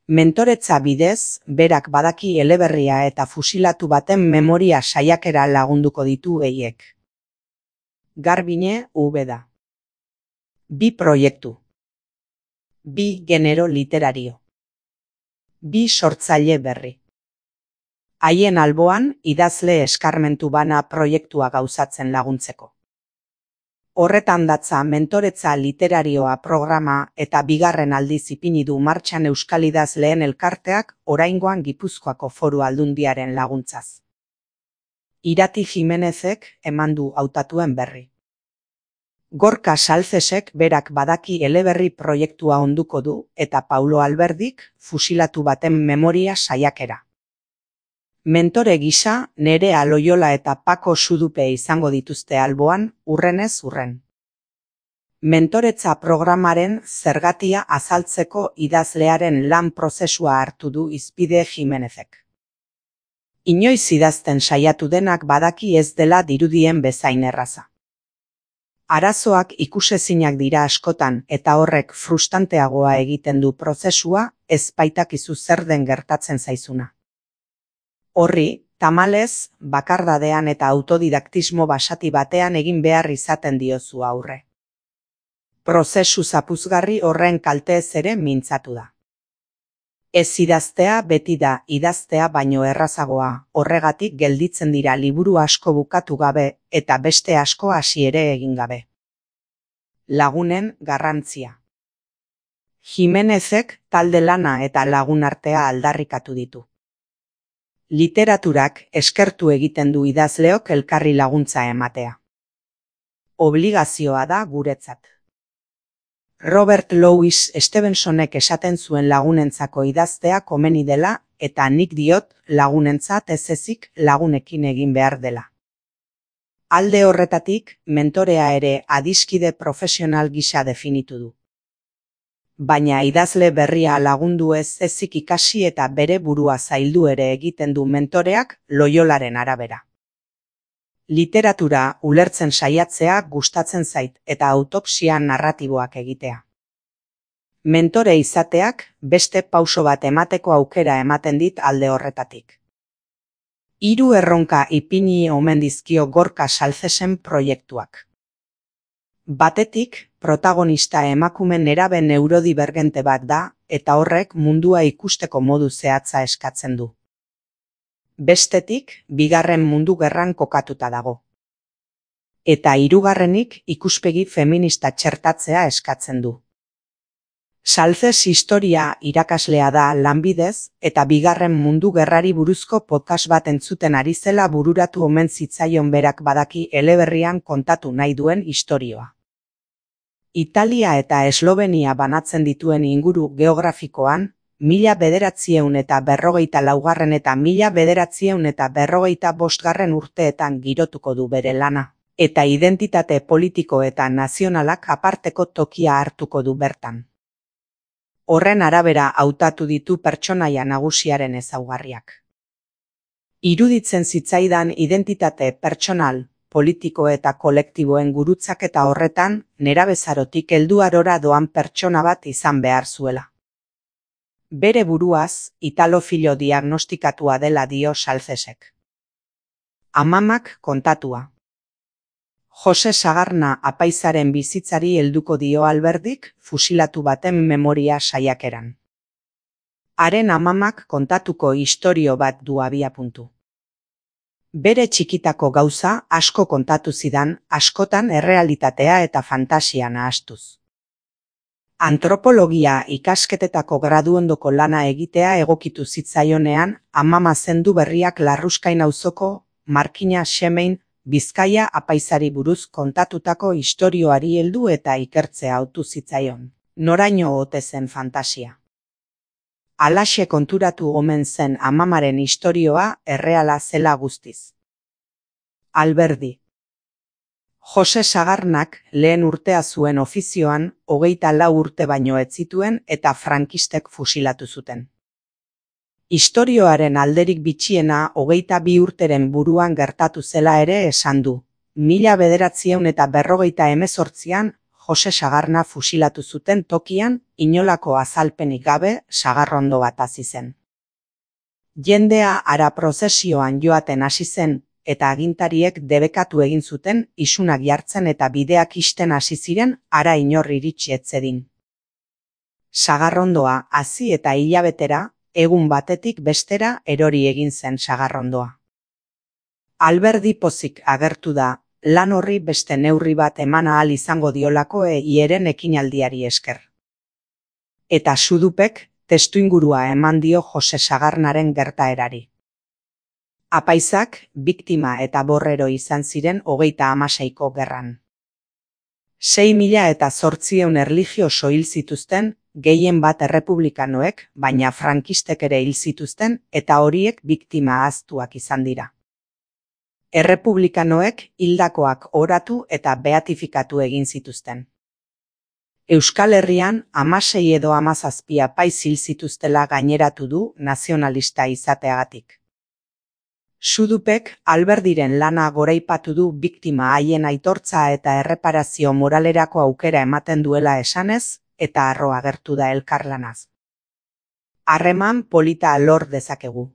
Mentoretza bidez, berak badaki eleberria eta fusilatu baten memoria saiakera lagunduko ditu haiek. Garbiñe Úbeda. 2 proiektu. 2 genero literario. 2 sortzaile berri. Haien alboan, idazle eskarmentu bana proiektua gauzatzen laguntzeko. Horretan datza mentoretza literarioa programa eta 2. aldiz ipini du martxan euskal idazleen elkarteak oraingoan Gipuzkoako Foru Aldundiaren laguntzaz. Irati Jimenezek eman du hautatuen berri. Gorka Salcesek berak badaki eleberri proiektua onduko du eta Paulo Alberdik fusilatu baten memoria saiakera. Mentore gisa, Nerea Loyola eta Pako Sudupe izango dituzte alboan, urrenez urren. Mentoretza programaren zergatia azaltzeko idazlearen lan prozesua hartu du hizpide Jimenezek. Inoiz idazten saiatu denak badaki ez dela dirudien bezain erraza. Arazoak ikusezinak dira askotan eta horrek frustranteagoa egiten du prozesua, ez baitakizu zer den gertatzen zaizuna. Horri, tamalez, bakardadean eta autodidaktismo basati batean egin behar izaten diozu aurre. Prozesu zapuzgarri horren kalteez ere mintzatu da. Ez idaztea beti da idaztea baino errazagoa, horregatik gelditzen dira liburu asko bukatu gabe eta beste asko hasi ere egin gabe. Lagunen garrantzia. Jimenezek talde lana eta lagunartea aldarrikatu ditu. Literaturak eskertu egiten du idazleok elkarri laguntza ematea. Obligazioa da guretzat. Robert Louis Stevensonek esaten zuen lagunentzako idaztea komeni dela eta nik diot lagunentzat ez ezik lagunekin egin behar dela. Alde horretatik, mentorea ere adiskide profesional gisa definitu du. Baina idazle berria lagundu ez ezik ikasi eta bere burua zaildu ere egiten du mentoreak Loyolaren arabera. Literatura ulertzen saiatzea gustatzen zait eta autopsia narratiboak egitea. Mentore izateak beste pauso bat emateko aukera ematen dit alde horretatik. 3 erronka ipini omen dizkio Gorka Salcesen proiektuak. Batetik, protagonista emakume nerabe neurodibergente bat da eta horrek mundua ikusteko modu zehatza eskatzen du. Bestetik, 2. Mundu Gerran kokatuta dago. Eta 3. ikuspegi feminista txertatzea eskatzen du. Salces historia irakaslea da lanbidez eta 2. Mundu Gerrari buruzko podcast bat entzuten ari zela bururatu omen zitzaion berak badaki eleberrian kontatu nahi duen istorioa. Italia eta Eslovenia banatzen dituen inguru geografikoan, 1944 eta 1945 urteetan girotuko du bere lana, eta identitate politiko eta nazionalak aparteko tokia hartuko du bertan. Horren arabera hautatu ditu pertsonaia nagusiaren ezaugarriak. Iruditzen zitzaidan identitate pertsonal, politiko eta kolektiboen gurutzaketa horretan, nerabezarotik helduarora doan pertsona bat izan behar zuela. Bere buruaz, italofilo diagnostikatua dela dio Salcesek. Amamak kontatua. Jose Sagarna apaizaren bizitzari helduko dio Alberdik fusilatu baten memoria saiakeran. Haren amamak kontatuko istorio bat du abiapuntu. Bere txikitako gauza asko kontatu zidan, askotan errealitatea eta fantasia nahastuz. Antropologia ikasketetako graduondoko lana egitea egokitu zitzaionean, amama zendu berriak Larruskain auzoko Markina Xemein Bizkaia apaizari buruz kontatutako istorioari heldu eta ikertzea hautu zitzaion. Noraino ote zen fantasia. Halaxe konturatu omen zen amamaren istorioa erreala zela guztiz. Alberdi. Jose Sagarnak lehen urtea zuen ofizioan 24 urte baino ez zituen eta frankistek fusilatu zuten. Istorioaren alderik bitxiena 22 urteren buruan gertatu zela ere esan du. 1948an Jose Sagarna fusilatu zuten tokian inolako azalpenik gabe sagarrondo bat hasi zen. Jendea hara prozesioan joaten hasi zen, eta agintariek debekatu egin zuten isunak jartzen eta bideak ixten hasi ziren hara inor iritsi ez zedin. Sagarrondoa hasi eta hilabetera, egun batetik bestera erori egin zen sagarrondoa. Alberdi pozik agertu da, lan horri beste neurri bat eman ahal izango diolako hieren ekinaldiari esker. Eta Xudupek testuingurua eman dio Jose Sagarnaren gertaerari. Apaizak, biktima eta borrero izan ziren 36ko gerran. 6.800 erlijioso hil zituzten, gehien bat errepublikanoek, baina frankistek ere hil zituzten, eta horiek biktima ahaztuak izan dira. Errepublikanoek hildakoak oratu eta beatifikatu egin zituzten. Euskal Herrian 16 edo 17 apaiz hil zituztela gaineratu du nazionalista izateagatik. Xudupek Alberdiren lana goraipatu du biktima haien aitortza eta erreparazio moralerako aukera ematen duela esanez, eta harro agertu da elkarlanaz. Harreman polita lor dezakegu.